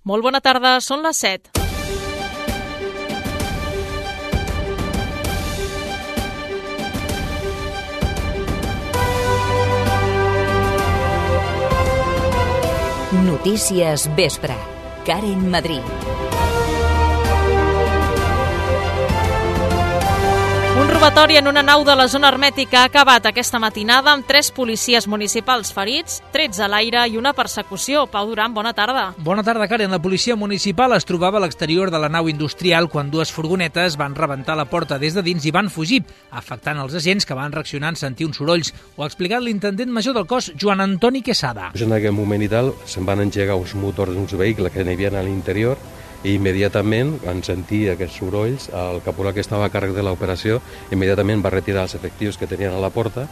Molt bona tarda, són les 7. Notícies Vespre. Karen Madrid. Un robatori en una nau de la zona hermètica ha acabat aquesta matinada amb 3 policies municipals ferits, 13 a l'aire i una persecució. Pau Duran, bona tarda. Bona tarda, Karen. La policia municipal es trobava a l'exterior de la nau industrial quan 2 furgonetes van rebentar la porta des de dins i van fugir, afectant els agents que van reaccionar en sentir uns sorolls. Ho ha explicat l'intendent major del cos, Joan Antoni Quesada. En aquell moment i tal se'n van engegar uns motors d'uns vehicles que n'hi havia a l'interior i immediatament, quan sentir aquests sorolls, el caporal que estava a càrrec de l'operació immediatament va retirar els efectius que tenien a la porta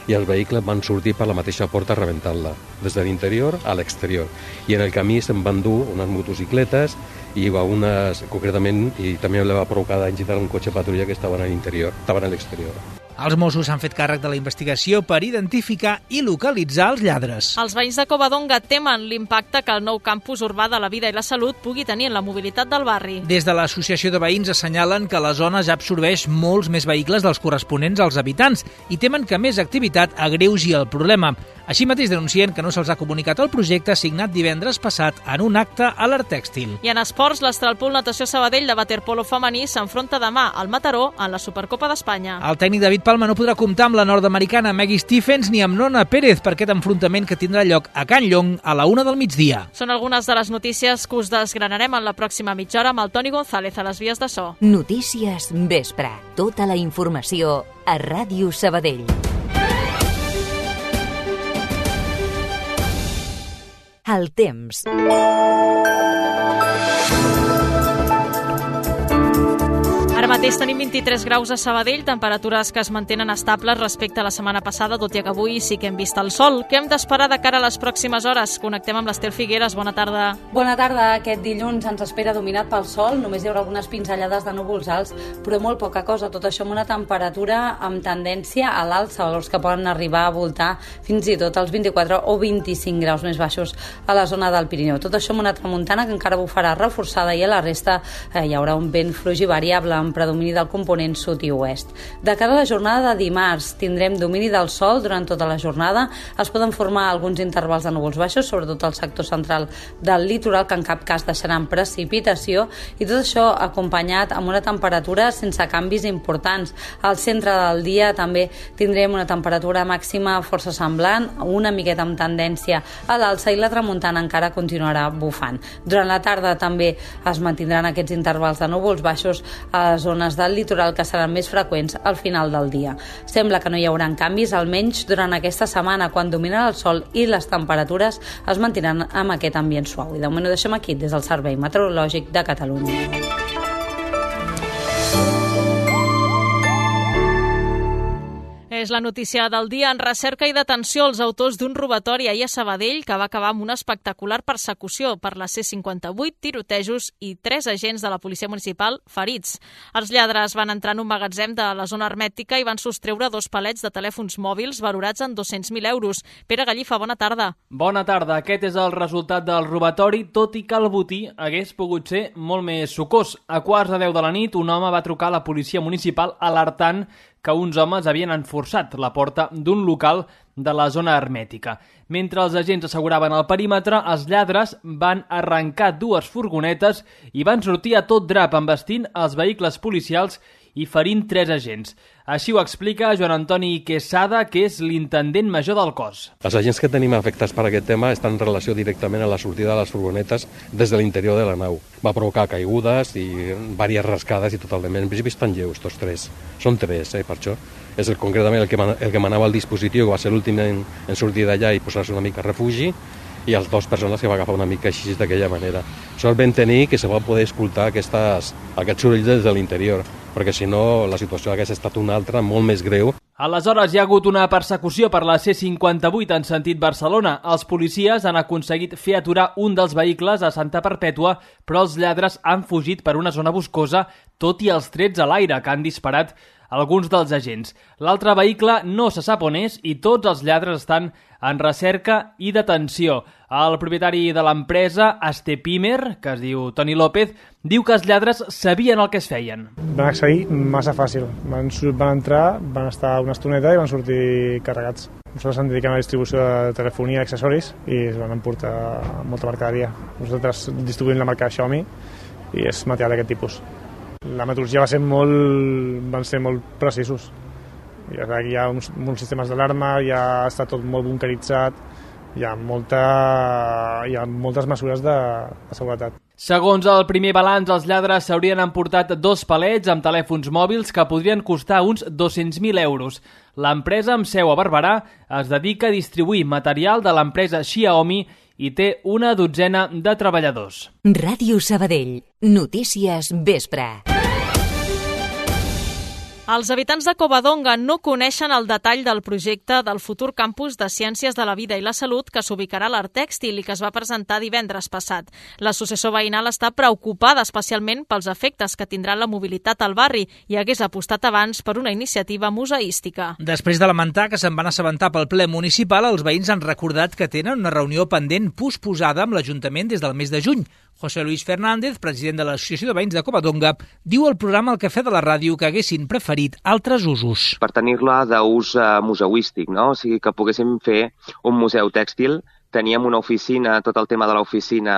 i els vehicles van sortir per la mateixa porta rebentant-la, des de l'interior a l'exterior. I en el camí se'n van dur unes motocicletes i unes, concretament, i també li va provocar danys un cotxe patrulla que estaven a l'interior, estaven a l'exterior. Els Mossos s'han fet càrrec de la investigació per identificar i localitzar els lladres. Els veïns de Covadonga temen l'impacte que el nou campus urbà de la vida i la salut pugui tenir en la mobilitat del barri. Des de l'Associació de Veïns assenyalen que la zona ja absorbeix molts més vehicles dels corresponents als habitants i temen que més activitat agreugi el problema. Així mateix denuncien que no se'ls ha comunicat el projecte signat divendres passat en un acte a l'Art Tèxtil. I en esports, l'Astralpool Natació Sabadell de waterpolo femení s'enfronta demà al Mataró en la Supercopa d'Espanya. El tècnic David Palma no podrà comptar amb la nord-americana Maggie Stephens ni amb Nona Pérez per aquest enfrontament que tindrà lloc a Can Llong a la 1 del migdia. Són algunes de les notícies que us desgranarem en la pròxima mitja hora amb el Toni González a les vies de so. Notícies Vespre. Tota la informació a Ràdio Sabadell. El temps. Ara mateix tenim 23 graus a Sabadell, temperatures que es mantenen estables respecte a la setmana passada, tot i que avui sí que hem vist el sol. Què hem d'esperar de cara a les pròximes hores? Connectem amb l'Estel Figueres. Bona tarda. Bona tarda. Aquest dilluns ens espera dominat pel sol. Només hi haurà algunes pinzellades de núvols alts, però molt poca cosa. Tot això amb una temperatura amb tendència a l'alça, valors que poden arribar a voltar fins i tot als 24 o 25 graus més baixos a la zona del Pirineu. Tot això amb una tramuntana que encara bufarà reforçada i a la resta hi haurà un vent fluix i variable amb predomini del component sud i oest. De cara a la jornada de dimarts tindrem domini del sol durant tota la jornada. Es poden formar alguns intervals de núvols baixos, sobretot al sector central del litoral, que en cap cas deixaran precipitació, i tot això acompanyat amb una temperatura sense canvis importants. Al centre del dia també tindrem una temperatura màxima força semblant, una miqueta amb tendència a l'alça, i la tramuntana encara continuarà bufant. Durant la tarda també es mantindran aquests intervals de núvols baixos a les zones del litoral, que seran més freqüents al final del dia. Sembla que no hi haurà canvis, almenys durant aquesta setmana, quan dominarà el sol i les temperatures es mantindran amb aquest ambient suau. I de moment ho deixem aquí, des del Servei Meteorològic de Catalunya. És la notícia del dia. En recerca i detenció els autors d'un robatori ahir a Sabadell que va acabar amb una espectacular persecució per la C58, tirotejos i 3 agents de la policia municipal ferits. Els lladres van entrar en un magatzem de la zona hermètica i van sostreure 2 palets de telèfons mòbils valorats en 200.000 euros. Pere Gallifa, bona tarda. Bona tarda. Aquest és el resultat del robatori, tot i que el botí hagués pogut ser molt més sucós. A 9:15 de la nit, un home va trucar a la policia municipal alertant que uns homes havien enforçat la porta d'un local de la zona hermètica. Mentre els agents asseguraven el perímetre, els lladres van arrencar 2 furgonetes i van sortir a tot drap envestint els vehicles policials i ferint 3 agents. Així ho explica Joan Antoni Quesada, que és l'intendent major del cos. Els agents que tenim afectats per aquest tema estan en relació directament a la sortida de les furgonetes des de l'interior de la nau. Va provocar caigudes i diverses rascades i totalment. En principi estan lleus, tots 3. Són 3, per això. És concretament el que manava el dispositiu, que va ser l'últim en sortir d'allà i posar-se una mica a refugi, i les 2 persones que va agafar una mica així d'aquella manera. Sort vam tenir que se va poder escoltar aquests sorolls des de l'interior, perquè si no la situació hagués estat una altra, molt més greu. Aleshores hi ha hagut una persecució per la C58 en sentit Barcelona. Els policies han aconseguit fer aturar un dels vehicles a Santa Perpètua, però els lladres han fugit per una zona boscosa, tot i els trets a l'aire que han disparat alguns dels agents. L'altre vehicle no se sap on és i tots els lladres estan en recerca i detenció. El propietari de l'empresa, Astepimer, que es diu Toni López, diu que els lladres sabien el que es feien. Van accedir massa fàcil. Van entrar, van estar una estoneta i van sortir carregats. Nosaltres ens dediquem a la distribució de telefonia i accessoris i es van emportar molta mercaderia. Nosaltres distribuïm la marca Xiaomi i és material d'aquest tipus. La metodologia van ser molt precisos. Hi ha uns sistemes d'alarma, ja està tot molt bunkeritzat, hi ha moltes mesures de seguretat. Segons el primer balanç, els lladres s'haurien emportat 2 palets amb telèfons mòbils que podrien costar uns 200.000 euros. L'empresa, amb seu a Barberà, es dedica a distribuir material de l'empresa Xiaomi i té una dotzena de treballadors. Ràdio Sabadell. Notícies vespre. Els habitants de Covadonga no coneixen el detall del projecte del futur campus de Ciències de la Vida i la Salut que s'ubicarà a l'Art Tèxtil i que es va presentar divendres passat. L'associació veïnal està preocupada especialment pels efectes que tindrà la mobilitat al barri i hagués apostat abans per una iniciativa museística. Després de lamentar que se'n van assabentar pel ple municipal, els veïns han recordat que tenen una reunió pendent posposada amb l'Ajuntament des del mes de juny. José Luis Fernández, president de l'Associació de Veïns de Covadonga, diu al programa El Cafè de la Ràdio que haguessin preferit altres usos. Per tenir-la d'ús museístic, no? O sigui, que poguéssim fer un museu tèxtil. Teníem una oficina, tot el tema de l'oficina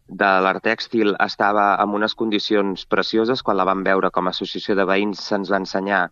de l'art tèxtil estava en unes condicions precioses. Quan la vam veure com a associació de veïns se'ns va ensenyar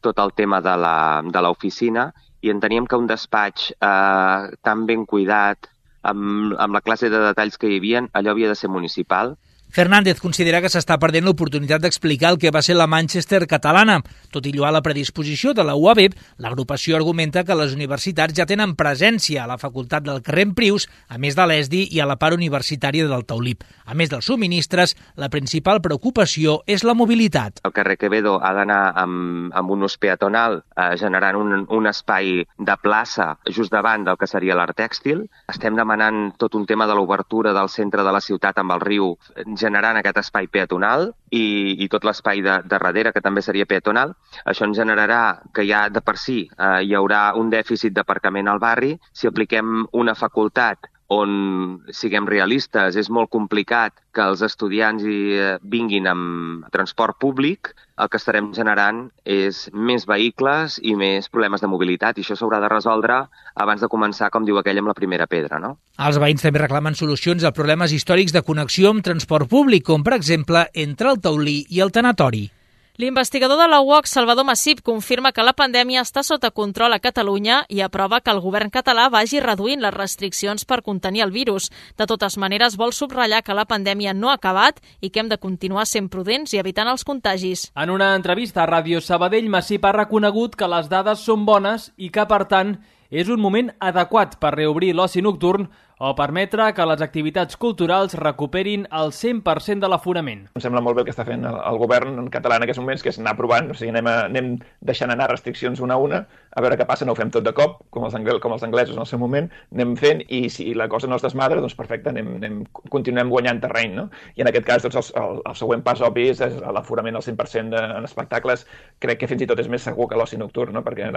tot el tema de l'oficina i enteníem que un despatx tan ben cuidat, amb la classe de detalls que hi havia, allò havia de ser municipal. Fernández considera que s'està perdent l'oportunitat d'explicar el que va ser la Manchester catalana. Tot i lloar la predisposició de la UAB, l'agrupació argumenta que les universitats ja tenen presència a la facultat del carrer Emprius, a més de l'ESDI i a la part universitària del Taulip. A més dels subministres, la principal preocupació és la mobilitat. El carrer Quevedo ha d'anar amb un ús peatonal, generant un espai de plaça just davant del que seria l'art tèxtil. Estem demanant tot un tema de l'obertura del centre de la ciutat amb el riu, generant aquest espai peatonal i tot l'espai de darrere, que també seria peatonal. Això ens generarà que ja de per si hi haurà un dèficit d'aparcament al barri. Si apliquem una facultat on, siguem realistes, és molt complicat que els estudiants vinguin amb transport públic, el que estarem generant és més vehicles i més problemes de mobilitat, i això s'haurà de resoldre abans de començar, com diu aquell, amb la primera pedra, no? Els veïns també reclamen solucions a problemes històrics de connexió amb transport públic, com per exemple entre el Taulí i el Tanatori. L'investigador de la UOC, Salvador Massip, confirma que la pandèmia està sota control a Catalunya i aprova que el govern català vagi reduint les restriccions per contenir el virus. De totes maneres, vol subratllar que la pandèmia no ha acabat i que hem de continuar sent prudents i evitant els contagis. En una entrevista a Ràdio Sabadell, Massip ha reconegut que les dades són bones i que, per tant, és un moment adequat per reobrir l'oci nocturn o permetre que les activitats culturals recuperin el 100% de l'aforament. Em sembla molt bé el que està fent el govern català en aquests moments, que és anar provant, o sigui, anem deixant anar restriccions una a una, a veure què passa, no ho fem tot de cop, com els anglesos en el seu moment, anem fent, i si la cosa no es desmadra, doncs perfecte, continuem guanyant terreny, no? I en aquest cas, doncs, el següent pas obvi és l'aforament al 100% en espectacles. Crec que fins i tot és més segur que l'oci nocturn, no? Perquè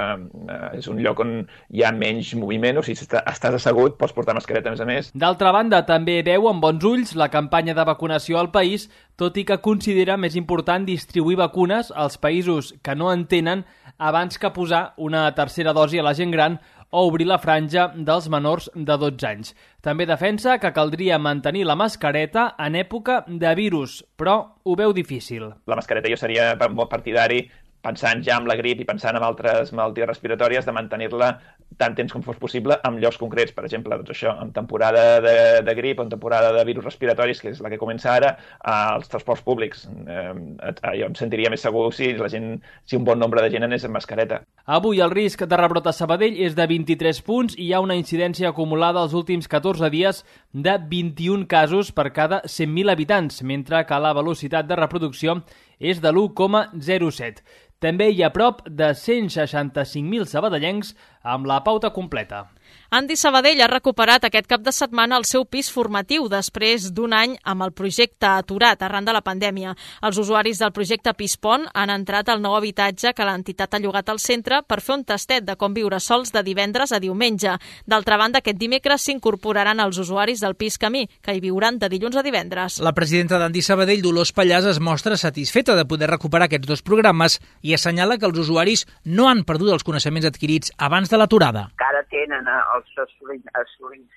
és un lloc on hi ha menys moviment, o sigui, si estàs assegut, pots portar mascareta a més. D'altra banda, també veu amb bons ulls la campanya de vacunació al país, tot i que considera més important distribuir vacunes als països que no en tenen abans que posar una tercera dosi a la gent gran o obrir la franja dels menors de 12 anys. També defensa que caldria mantenir la mascareta en època de virus, però ho veu difícil. La mascareta jo seria molt partidari, pensant ja en la grip i pensant en altres malalties respiratòries, de mantenir-la tant temps com fos possible en llocs concrets. Per exemple, doncs això, en temporada de grip o en temporada de virus respiratoris, que és la que comença ara, als transports públics. Jo em sentiria més segur si un bon nombre de gent anés amb mascareta. Avui el risc de rebrot a Sabadell és de 23 punts i hi ha una incidència acumulada els últims 14 dies de 21 casos per cada 100.000 habitants, mentre que la velocitat de reproducció és de l'1,07. També hi ha prop de 165.000 sabadellencs amb la pauta completa. Andi Sabadell ha recuperat aquest cap de setmana el seu pis formatiu després d'un any amb el projecte aturat arran de la pandèmia. Els usuaris del projecte Pispon han entrat al nou habitatge que l'entitat ha llogat al centre per fer un tastet de com viure sols de divendres a diumenge. D'altra banda, aquest dimecres s'incorporaran els usuaris del Pis Camí, que hi viuran de dilluns a divendres. La presidenta d'Andi Sabadell, Dolors Pallàs, es mostra satisfeta de poder recuperar aquests dos programes i assenyala que els usuaris no han perdut els coneixements adquirits abans de l'aturada. Encara tenen assolits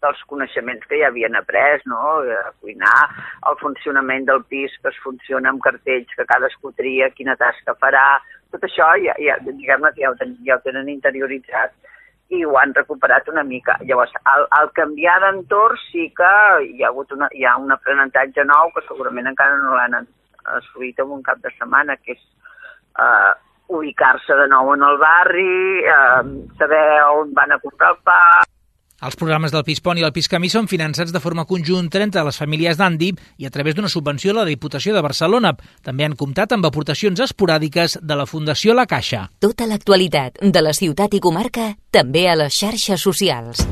dels coneixements que ja havien après, no? A cuinar, el funcionament del pis, que es funciona amb cartells, que cadascú tria quina tasca farà, tot això ja ho tenen interioritzat i ho han recuperat una mica. Llavors, al canviar d'entorn sí que hi ha un aprenentatge nou que segurament encara no l'han assolit en un cap de setmana, que és ubicar-se de nou en el barri, saber on van a comprar el pa. Els programes del Pispon i el Pis Camí són finançats de forma conjunta entre les famílies d'Andi i a través d'una subvenció de la Diputació de Barcelona. També han comptat amb aportacions esporàdiques de la Fundació La Caixa. Tota l'actualitat de la ciutat i comarca, també a les xarxes socials.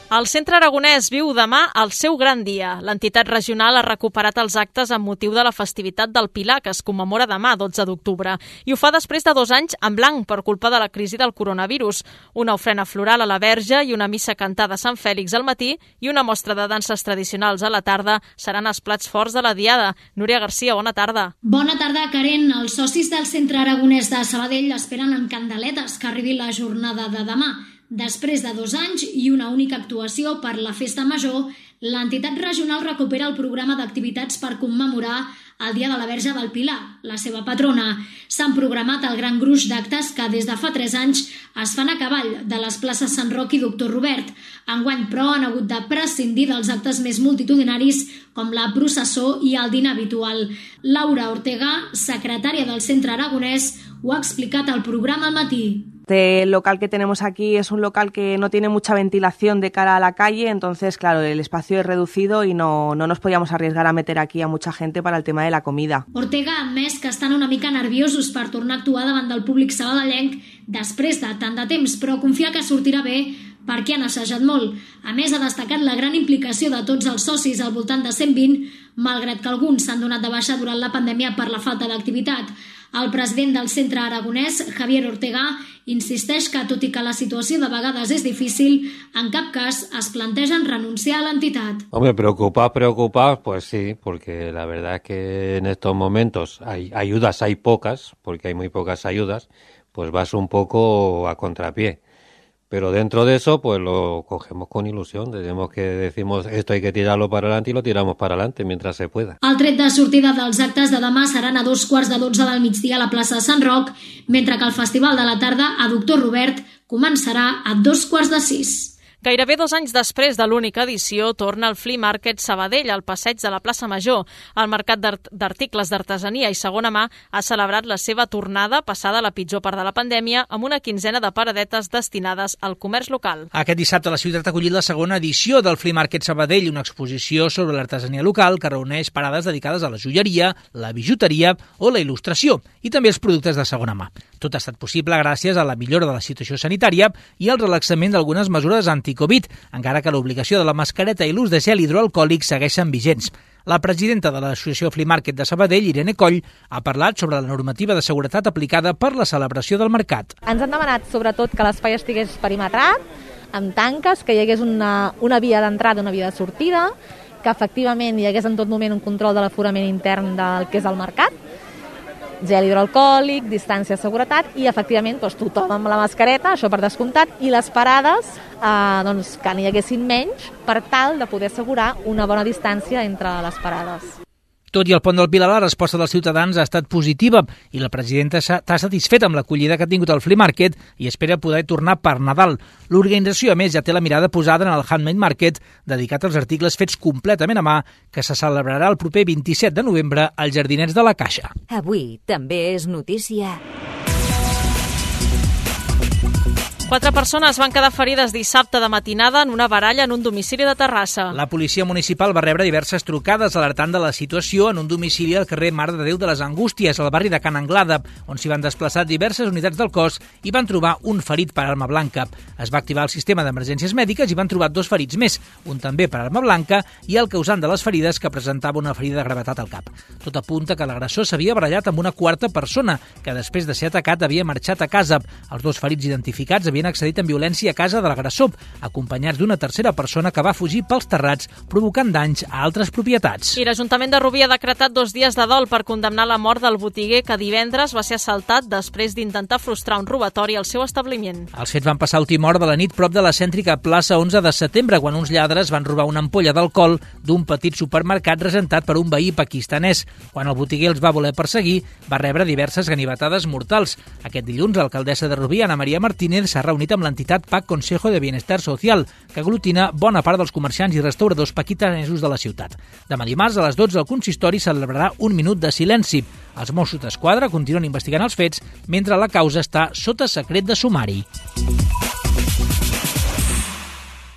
El Centre Aragonès viu demà el seu gran dia. L'entitat regional ha recuperat els actes amb motiu de la festivitat del Pilar, que es commemora demà, 12 d'octubre, i ho fa després de 2 anys en blanc per culpa de la crisi del coronavirus. Una ofrena floral a la Verge i una missa cantada a Sant Fèlix al matí i una mostra de danses tradicionals a la tarda seran els plats forts de la diada. Núria Garcia, bona tarda. Bona tarda, Karen. Els socis del Centre Aragonès de Sabadell esperen amb candeletes que arribi la jornada de demà. Després de 2 anys i una única actuació per la Festa Major, l'entitat regional recupera el programa d'activitats per commemorar el Dia de la Verge del Pilar, la seva patrona. S'han programat el gran gruix d'actes que des de fa 3 anys es fan a cavall de les places Sant Roc i Doctor Robert. Enguany, però, han hagut de prescindir dels actes més multitudinaris com la processó i el dinar habitual. Laura Ortega, secretària del Centre Aragonès, ho ha explicat al programa al matí. El local que tenemos aquí es un local que no tiene mucha ventilación de cara a la calle, entonces, claro, el espacio es reducido y no nos podíamos arriesgar a meter aquí a mucha gente para el tema de la comida. Ortega ha admès que estan una mica nerviosos per tornar a actuar davant del públic sabadellenc després de tant de temps, però confia que sortirà bé perquè han assajat molt. A més, ha destacat la gran implicació de tots els socis, al voltant de 120, malgrat que alguns s'han donat de baixa durant la pandèmia per la falta d'activitat. El president del Centre Aragonès, Javier Ortega, insisteix que, tot i que la situació de vegades és difícil, en cap cas es plantegen renunciar a l'entitat. Hombre, preocupar, pues sí, porque la verdad es que en estos momentos ayudas hay pocas, porque hay muy pocas ayudas, pues vas un poco a contrapié. Pero dentro de eso, pues lo cogemos con ilusión. Decimos esto hay que tirarlo para adelante y lo tiramos para adelante mientras se pueda. El tret de sortida dels actes de demà seran a 2:15 del migdia a la plaça Sant Roc, mentre que el Festival de la Tarda a Doctor Robert començarà a 5:45. Gairebé 2 anys després de l'única edició, torna el Flea Market Sabadell al passeig de la plaça Major. El mercat d'articles d'artesania i segona mà ha celebrat la seva tornada passada la pitjor part de la pandèmia amb una quinzena de paradetes destinades al comerç local. Aquest dissabte la ciutat ha acollit la segona edició del Flea Market Sabadell, una exposició sobre l'artesania local que reuneix parades dedicades a la joieria, la bijuteria o la il·lustració i també els productes de segona mà. Tot ha estat possible gràcies a la millora de la situació sanitària i al relaxament d'algunes mesures anti-Covid, encara que l'obligació de la mascareta i l'ús de gel hidroalcohòlic segueixen vigents. La presidenta de l'Associació Flea Market de Sabadell, Irene Coll, ha parlat sobre la normativa de seguretat aplicada per la celebració del mercat. Ens han demanat sobretot que l'espai estigués perimetrat, amb tanques, que hi hagués una via d'entrada i una via de sortida, que efectivament hi hagués en tot moment un control de l'aforament intern del que és el mercat, gel hidroalcohòlic, distància de seguretat i, efectivament, tothom amb la mascareta, això per descomptat, i les parades que n'hi haguessin menys per tal de poder assegurar una bona distància entre les parades. Tot i el pont del Pilar, la resposta dels ciutadans ha estat positiva i la presidenta està satisfeta amb l'acollida que ha tingut el Flea Market i espera poder tornar per Nadal. L'organització, a més, ja té la mirada posada en el Handmade Market, dedicat als articles fets completament a mà, que se celebrarà el proper 27 de novembre als Jardinets de la Caixa. Avui també és notícia. 4 persones van quedar ferides dissabte de matinada en una baralla en un domicili de Terrassa. La policia municipal va rebre diverses trucades alertant de la situació en un domicili al carrer Mare de Déu de les Angústies, al barri de Can Anglada, on s'hi van desplaçar diverses unitats del cos i van trobar un ferit per arma blanca. Es va activar el sistema d'emergències mèdiques i van trobar 2 ferits més, un també per arma blanca i el causant de les ferides, que presentava una ferida de gravetat al cap. Tot apunta que l'agressor s'havia barallat amb una quarta persona, que després de ser atacat havia marxat a casa. Els 2 ferits identificats havien accedit amb violència a casa de l'agressor, acompanyats d'una tercera persona que va fugir pels terrats, provocant danys a altres propietats. I l'Ajuntament de Rubí ha decretat 2 dies de dol per condemnar la mort del botiguer que divendres va ser assaltat després d'intentar frustrar un robatori al seu establiment. Els fets van passar a última hora de la nit prop de la cèntrica plaça 11 de setembre, quan uns lladres van robar una ampolla d'alcohol d'un petit supermercat regentat per un veí pakistanès. Quan el botiguer els va voler perseguir, va rebre diverses ganivetades mortals. Aquest dilluns, l'alcaldessa de Rubí, Ana Maria Martínez, s'ha reunit amb l'entitat PAC Consejo de Bienestar Social, que aglutina bona part dels comerciants i restauradors pakistanesos de la ciutat. Demà dimarts, a les 12, el consistori celebrarà un minut de silenci. Els Mossos d'Esquadra continuen investigant els fets, mentre la causa està sota secret de sumari.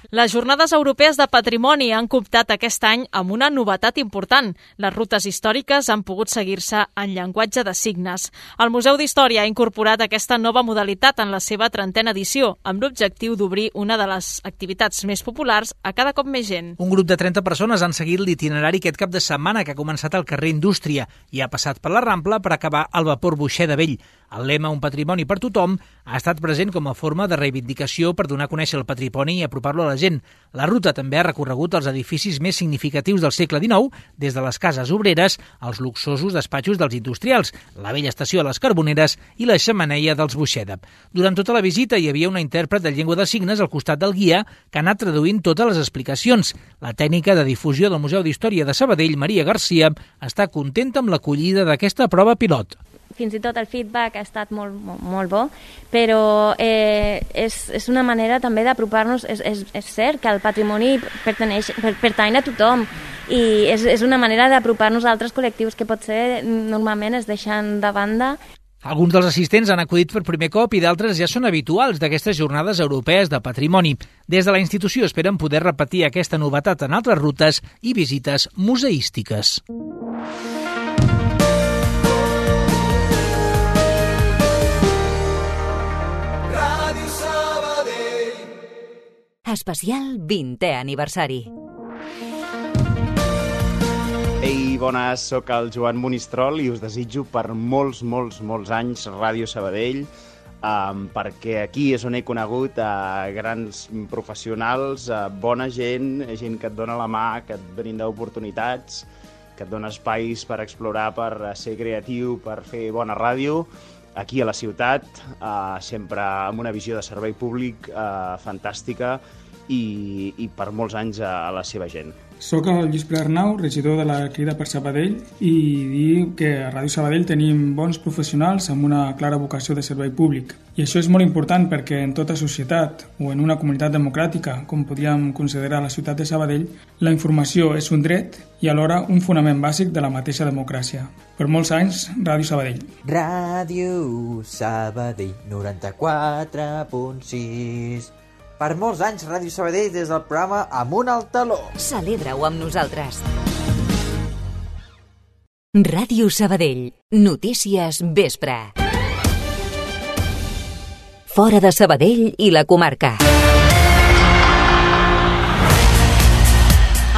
Les Jornades Europees de Patrimoni han cooptat aquest any amb una novetat important. Les rutes històriques han pogut seguir-se en llenguatge de signes. El Museu d'Història ha incorporat aquesta nova modalitat en la seva 30a edició, amb l'objectiu d'obrir una de les activitats més populars a cada cop més gent. Un grup de 30 persones han seguit l'itinerari aquest cap de setmana, que ha començat al carrer Indústria i ha passat per la Rambla per acabar al vapor Boixer de Vell. El lema Un patrimoni per tothom ha estat present com a forma de reivindicació per donar a conèixer el patrimoni i apropar-lo a la gent. La ruta també ha recorregut els edificis més significatius del segle XIX, des de les cases obreres als luxosos despatxos dels industrials, la vella estació a les Carboneres i la xemeneia dels Boixeda. Durant tota la visita hi havia una intèrpret de llengua de signes al costat del guia que ha anat traduint totes les explicacions. La tècnica de difusió del Museu d'Història de Sabadell, Maria Garcia, està contenta amb l'acollida d'aquesta prova pilot. Fins i tot el feedback ha estat molt bo, però és una manera també d'apropar-nos. És cert que el patrimoni pertany a tothom i és una manera d'apropar-nos a altres col·lectius que potser normalment es deixen de banda. Alguns dels assistents han acudit per primer cop i d'altres ja són habituals d'aquestes jornades europees de patrimoni. Des de la institució esperen poder repetir aquesta novetat en altres rutes i visites museístiques. Especial 20è aniversari. Ei, bones, sóc el Joan Monistrol i us desitjo per molts anys Ràdio Sabadell, perquè aquí és on he conegut grans professionals, bona gent que et dona la mà, que et brinda oportunitats, que et dona espais per explorar, per ser creatiu, per fer bona ràdio, aquí a la ciutat, sempre amb una visió de servei públic fantàstica i per molts anys a la seva gent. Soc el Lluís Pere Arnau, regidor de la Crida per Sabadell, i dir que a Ràdio Sabadell tenim bons professionals amb una clara vocació de servei públic. I això és molt important perquè en tota societat o en una comunitat democràtica, com podríem considerar la ciutat de Sabadell, la informació és un dret i alhora un fonament bàsic de la mateixa democràcia. Per molts anys, Ràdio Sabadell. Ràdio Sabadell 94.6. Per molts anys, Ràdio Sabadell des del programa Amunt al Taló. Celebra-ho amb nosaltres. Ràdio Sabadell. Notícies vespre. Fora de Sabadell i la comarca.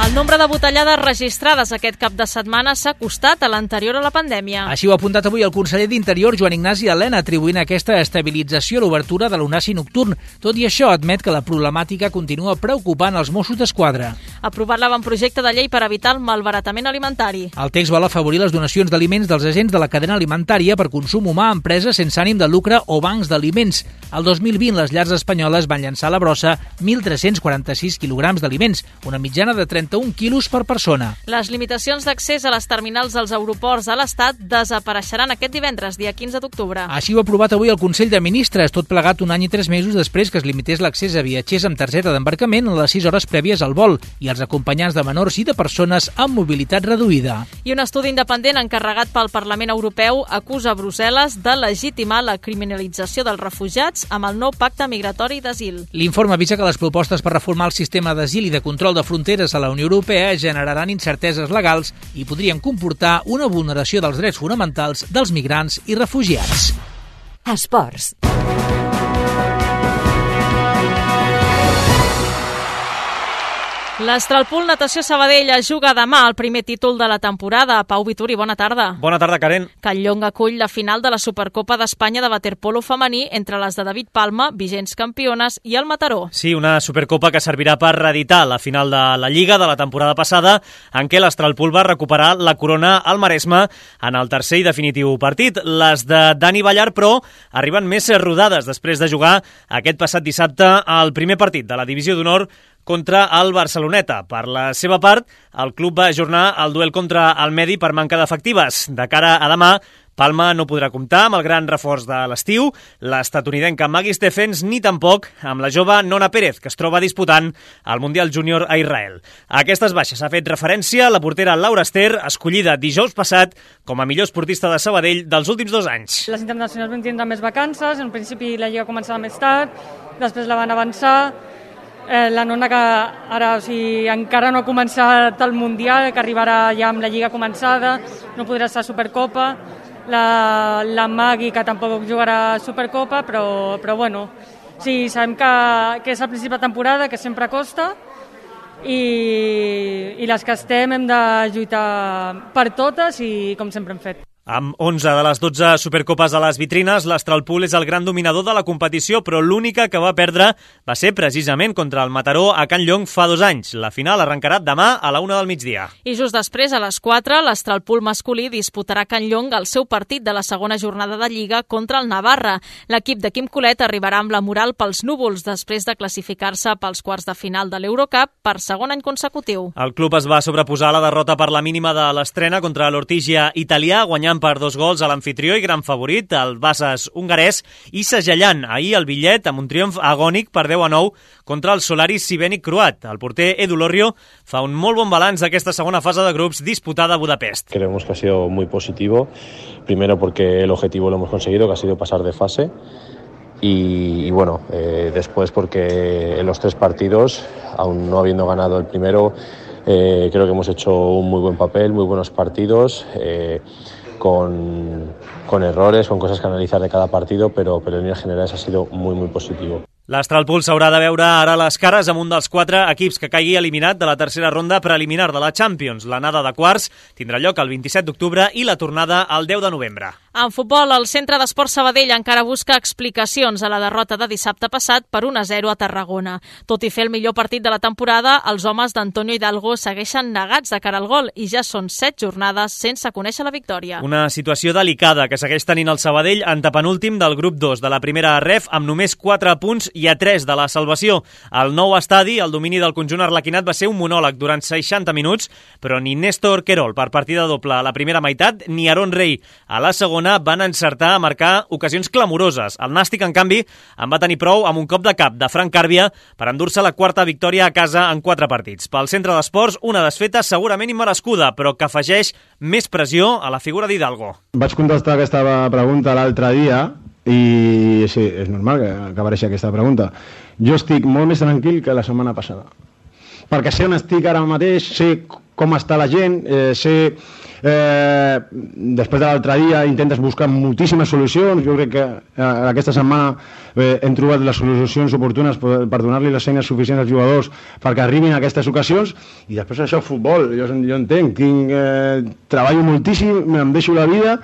El nombre de botellades registrades aquest cap de setmana s'ha acostat a l'anterior a la pandèmia. Així ho ha apuntat avui el conseller d'Interior, Joan Ignasi Elena, atribuint aquesta estabilització a l'obertura de l'Onaci nocturn. Tot i això, admet que la problemàtica continua preocupant els Mossos d'Esquadra. Ha aprovat l'avantprojecte de llei per evitar el malbaratament alimentari. El text vol afavorir les donacions d'aliments dels agents de la cadena alimentària per consum humà a empreses sense ànim de lucre o bancs d'aliments. El 2020, les llars espanyoles van llançar a la brossa 1.346 quilograms d'aliments, una mitjana de 31 1 quilos per persona. Les limitacions d'accés a les terminals dels aeroports a l'Estat desapareixeran aquest divendres, dia 15 d'octubre. Així ho ha aprovat avui el Consell de Ministres, tot plegat 1 any i 3 mesos després que es limités l'accés a viatgers amb targeta d'embarcament a les 6 hores prèvies al vol i als acompanyants de menors i de persones amb mobilitat reduïda. I un estudi independent encarregat pel Parlament Europeu acusa Brussel·les de legitimar la criminalització dels refugiats amb el nou pacte migratori d'asil. L'informe avisa que les propostes per reformar el sistema d'asil i de control de fronteres a la Unió Europea generaran incerteses legals i podrien comportar una vulneració dels drets fonamentals dels migrants i refugiats. Esports. L'Astralpool Natació Sabadell juga demà el primer títol de la temporada. Pau Vituri, bona tarda. Bona tarda, Karen. Catlllong acull la final de la Supercopa d'Espanya de waterpolo femení entre les de David Palma, vigents campiones, i el Mataró. Sí, una Supercopa que servirà per reeditar la final de la Lliga de la temporada passada, en què l'Astralpool va recuperar la corona al Maresme en el tercer i definitiu partit. Les de Dani Ballar, però, arriben més rodades després de jugar aquest passat dissabte al primer partit de la Divisió d'Honor contra el Barceloneta. Per la seva part, el club va ajornar el duel contra el Medi per manca d'efectives. De cara a demà, Palma no podrà comptar amb el gran reforç de l'estiu, l'estatunidenca Maggie Stephens, ni tampoc amb la jove Nona Pérez, que es troba disputant el Mundial Júnior a Israel. A aquestes baixes ha fet referència la portera Laura Ester, escollida dijous passat com a millor esportista de Sabadell dels últims 2 anys. Les internacionals van tindre més vacances, en principi la Lliga començava més tard, després la van avançar. La Nona, que ara encara no ha començat el Mundial, que arribarà ja amb la Lliga començada, no podrà estar a Supercopa. La Magui, que tampoc jugarà a Supercopa, però bueno, sí, sabem que és el principi de temporada, que sempre costa, i les que estem hem de lluitar per totes i com sempre hem fet. Amb 11 de les 12 Supercopes a les vitrines, l'Astralpool és el gran dominador de la competició, però l'única que va perdre va ser precisament contra el Mataró a Can Llong fa 2 anys. La final arrencarà demà a la 1 del migdia. I just després, a les 4, l'Astralpool masculí disputarà a Can Llong el seu partit de la segona jornada de Lliga contra el Navarra. L'equip de Quim Colet arribarà amb la moral pels núvols després de classificar-se pels quarts de final de l'Eurocup per segon any consecutiu. El club es va sobreposar a la derrota per la mínima de l'estrena contra l'Ortigia italià, guanyant per 2 gols a l'amfitrió i gran favorit, el Bases hongarès, i segellant ahir el bitllet amb un triomf agònic per 10-9 contra el Solaris Sibènic croat. El porter Edu Lorrio fa un molt bon balanç d'aquesta segona fase de grups disputada a Budapest. Creemos que ha sido muy positivo, primero porque el objetivo lo hemos conseguido, que ha sido pasar de fase, y bueno, después porque en los 3 partidos, aún no habiendo ganado el primero, creo que hemos hecho un muy buen papel, muy buenos partidos, con errores, con cosas que analizar de cada partido, pero en líneas generales ha sido muy, muy positivo. L'Astralpool s'haurà de veure ara les cares amb un dels 4 equips que caigui eliminat de la tercera ronda preliminar de la Champions. L'anada de quarts tindrà lloc el 27 d'octubre i la tornada el 10 de novembre. En futbol, el Centre d'Esport Sabadell encara busca explicacions a la derrota de dissabte passat per 1-0 a Tarragona. Tot i fer el millor partit de la temporada, els homes d'Antonio Hidalgo segueixen negats de cara al gol i ja són 7 jornades sense conèixer la victòria. Una situació delicada que segueix tenint el Sabadell en penúltim del grup 2 de la primera ref amb només 4 punts i a 3 de la salvació. Al nou estadi, el domini del conjunt arlequinat va ser un monòleg durant 60 minuts, però ni Néstor Querol per partida doble a la primera meitat ni Aaron Rey a la segona van encertar a marcar ocasions clamoroses. El Nàstic, en canvi, en va tenir prou amb un cop de cap de Frank Càrbia per endur-se la 4ª victòria a casa en 4 partits. Pel Centre d'Esports, una desfeta segurament immerescuda, però que afegeix més pressió a la figura d'Hidalgo. Vaig contestar aquesta pregunta l'altre dia i sí, és normal que apareixi aquesta pregunta. Jo estic molt més tranquil que la setmana passada, perquè sé on estic ara mateix, sé com està la gent, sé després de l'altre dia intentes buscar moltíssimes solucions. Jo crec que aquesta setmana hem trobat les solucions oportunes per donar-li les eines suficients als jugadors perquè arribin a aquestes ocasions, i després això, futbol, jo entenc, treballo moltíssim, em deixo la vida,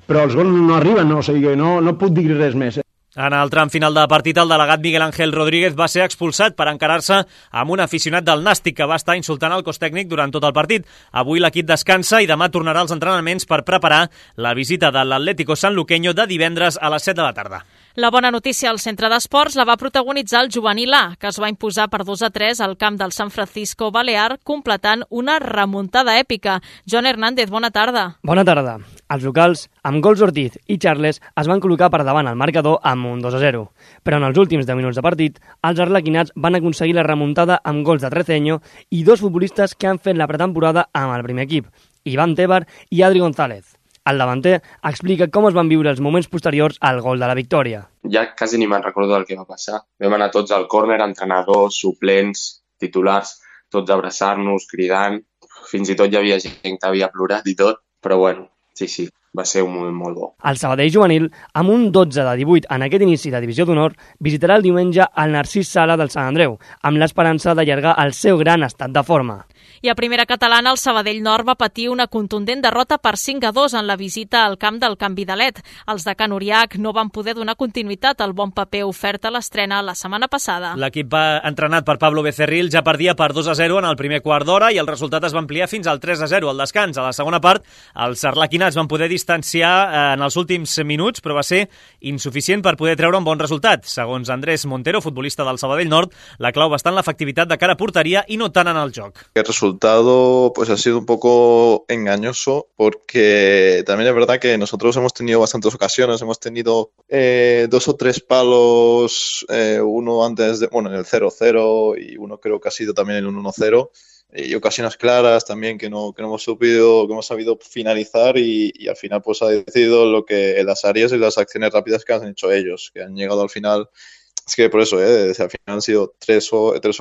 però els gols no arriben, no, o sigui, no puc dir res més. En el tram final de partit, el delegat Miguel Ángel Rodríguez va ser expulsat per encarar-se amb un aficionat del Nàstic que va estar insultant el cos tècnic durant tot el partit. Avui l'equip descansa i demà tornarà als entrenaments per preparar la visita de l'Atlético Sanluqueño de divendres a les 7 de la tarda. La bona notícia al centre d'esports la va protagonitzar el juvenil A, que es va imposar per 2-3 al camp del San Francisco Balear, completant una remuntada èpica. Joan Hernández, bona tarda. Bona tarda. Els locals, amb gols Ortiz i Charles, es van col·locar per davant al marcador amb un 2-0. Però en els últims 10 minuts de partit, els arlequinats van aconseguir la remuntada amb gols de Treceño i dos futbolistes que han fet la pretemporada amb el primer equip, Iván Tebar i Adri González. El davanter explica com es van viure els moments posteriors al gol de la victòria. Ja quasi ni me'n recordo del que va passar. Vam anar tots al córner, entrenadors, suplents, titulars, tots a abraçar-nos, cridant. Fins i tot hi havia gent que havia plorat i tot, però bueno, sí, va ser un moment molt bo. El Sabadell juvenil, amb un 12-18 en aquest inici de Divisió d'Honor, visitarà el diumenge el Narcís Sala del Sant Andreu, amb l'esperança d'allargar el seu gran estat de forma. I a primera catalana, el Sabadell Nord va patir una contundent derrota per 5-2 en la visita al camp del Can Vidalet. Els de Can Uriach no van poder donar continuïtat al bon paper ofert a l'estrena la setmana passada. L'equip entrenat per Pablo Becerril ja perdia per 2-0 en el primer quart d'hora i el resultat es va ampliar fins al 3-0 al descans. A la segona part, els arlequinats van poder distanciar en els últims minuts, però va ser insuficient per poder treure un bon resultat. Segons Andrés Montero, futbolista del Sabadell Nord, la clau va estar en l'efectivitat de cara a porteria i no tant en el joc. El resultado pues ha sido un poco engañoso porque también es verdad que nosotros hemos tenido bastantes ocasiones, hemos tenido 2 o 3 palos, uno antes de, en el 0-0 y uno creo que ha sido también el 1-0 y ocasiones claras también que no hemos sabido finalizar y al final pues ha decidido lo que las áreas y las acciones rápidas que han hecho ellos, que han llegado al final. Es que por eso, al final han sido 3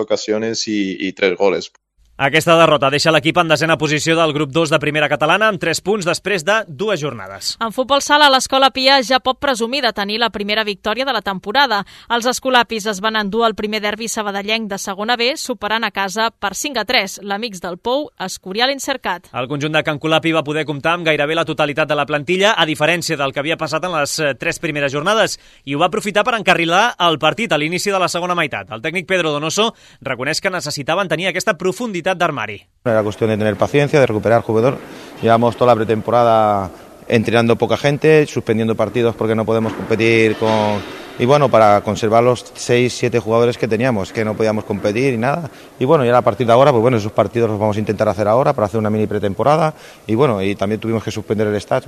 ocasiones y 3 goles. Aquesta derrota deixa l'equip en desena posició del grup 2 de primera catalana amb 3 punts després de 2 jornades. En futbol sala, l'Escola Pia ja pot presumir de tenir la primera victòria de la temporada. Els escolapis es van endur el primer derbi sabadellenc de segona B, superant a casa per 5-3 l'Amics del Pou, Escorial Incercat. El conjunt de Can Colapi va poder comptar amb gairebé la totalitat de la plantilla, a diferència del que havia passat en les 3 primeres jornades, i ho va aprofitar per encarrilar el partit a l'inici de la segona meitat. El tècnic Pedro Donoso reconeix que necessitaven tenir aquesta profunditat d'armari. Era cuestión de tener paciencia, de recuperar jugador. Llevamos toda la pretemporada entrenando poca gente, suspendiendo partidos porque no podemos competir y para conservar los 6-7 jugadores que teníamos, que no podíamos competir y nada. Y ya a partir de ahora, esos partidos los vamos a intentar hacer ahora para hacer una mini pretemporada. Y también tuvimos que suspender el stage,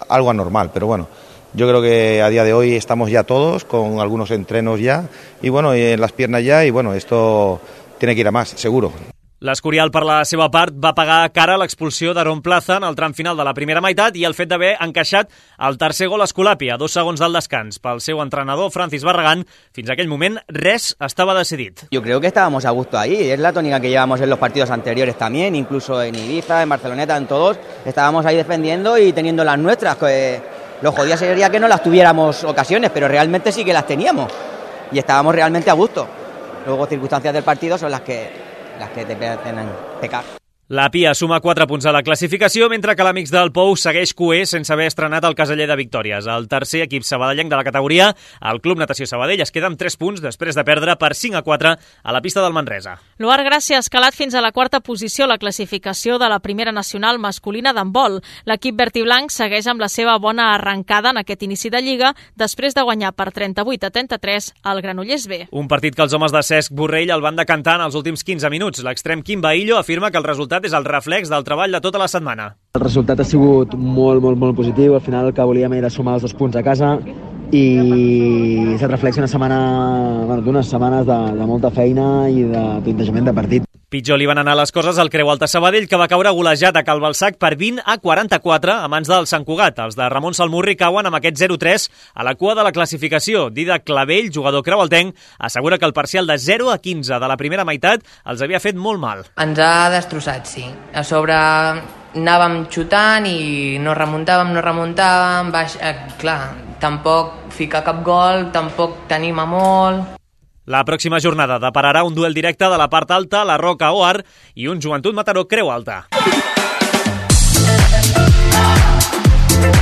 algo anormal, pero yo creo que a día de hoy estamos ya todos con algunos entrenos ya y en las piernas ya y esto tiene que ir a más, seguro. L'Escorial, per la seva part, va pagar cara a l'expulsió d'Aaron Plaza en el tram final de la primera meitat i el fet d'haver encaixat el tercer gol a Escolapi a 2 segons del descans. Pel seu entrenador, Francis Barragán, fins a aquell moment res estava decidit. Yo creo que estábamos a gusto ahí, es la tónica que llevamos en los partidos anteriores también, incluso en Ibiza, en Barceloneta, en todos, estábamos ahí defendiendo y teniendo las nuestras. Lo jodido sería que no las tuviéramos ocasiones, pero realmente sí que las teníamos y estábamos realmente a gusto. Luego circunstancias del partido son las que te hacen pecar. La Pia suma 4 punts a la classificació, mentre que l'Amics del Pou segueix cuer sense haver estrenat el caseller de victòries. El tercer equip sabadellenc de la categoria, el Club Natació Sabadell, es queda amb 3 punts després de perdre per 5-4 a la pista del Manresa. L'Oar Gràcia ha escalat fins a la 4a posició a la classificació de la primera nacional masculina d'handbol. L'equip verd i blanc segueix amb la seva bona arrencada en aquest inici de Lliga després de guanyar per 38-33 al Granollers B. Un partit que els homes de Cesc Borrell el van decantar en els últims 15 minuts. L'extrem Quim Baillo afirma que el resultat és el reflex del treball de tota la setmana. El resultat ha sigut molt positiu. Al final el que volíem era sumar els 2 punts a casa i se't reflexa d'unes setmanes de molta feina i de plantejament de partit. Pitjor li van anar les coses al Creu Alta Sabadell, que va caure golejat a Calbalsac per 20-44 a mans del Sant Cugat. Els de Ramon Salmurri cauen amb aquest 0-3 a la cua de la classificació. Didac Clavell, jugador creualtenc, assegura que el parcial de 0-15 de la primera meitat els havia fet molt mal. Ens ha destrossat, sí. A sobre anàvem xutant i no remuntàvem, clar, tampoc ficar cap gol, tampoc t'anima molt. La pròxima jornada depararà un duel directe de la part alta, la Roca Oar, i un Joventut Mataró Creu Alta.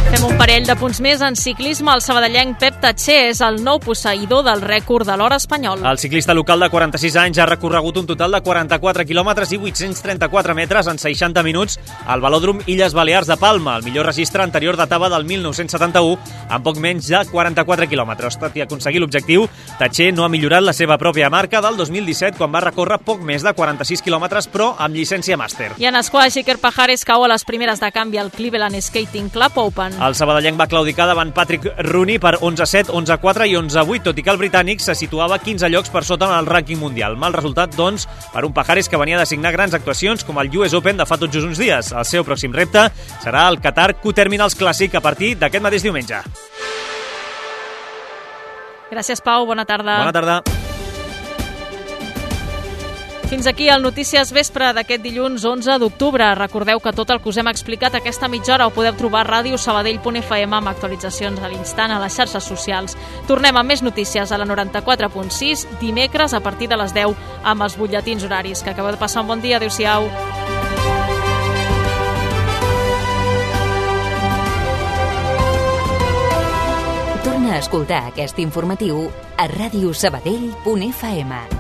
Fem un parell de punts més en ciclisme. El sabadellenc Pep Tatxer és el nou posseïdor del rècord de l'hora espanyol. El ciclista local de 46 anys ha recorregut un total de 44 quilòmetres i 834 metres en 60 minuts al velòdrom Illes Balears de Palma. El millor registre anterior datava del 1971 amb poc menys de 44 quilòmetres. Tot i aconseguir l'objectiu, Tatxer no ha millorat la seva pròpia marca del 2017 quan va recórrer poc més de 46 quilòmetres però amb llicència màster. I en esquaix, Iker Pajares cau a les primeres de canvi al Cleveland Skating Club Open. El sabadellenc va claudicar davant Patrick Rooney per 11-7, 11-4 i 11-8, tot i que el britànic se situava 15 llocs per sota en el rànquing mundial. Mal resultat, doncs, per un Pajares que venia de signar grans actuacions com el US Open de fa tot just uns dies. El seu pròxim repte serà el Qatar Q-Terminals Clàssic a partir d'aquest mateix diumenge. Gràcies, Pau. Bona tarda. Bona tarda. Fins aquí el Notícies Vespre d'aquest dilluns 11 d'octubre. Recordeu que tot el que us hem explicat aquesta mitja hora ho podeu trobar a radiosabadell.fm amb actualitzacions a l'instant a les xarxes socials. Tornem amb més notícies a la 94.6 dimecres a partir de les 10 amb els butlletins horaris. Que acabeu de passar un bon dia. Adéu-siau. Torna a escoltar aquest informatiu a radiosabadell.fm.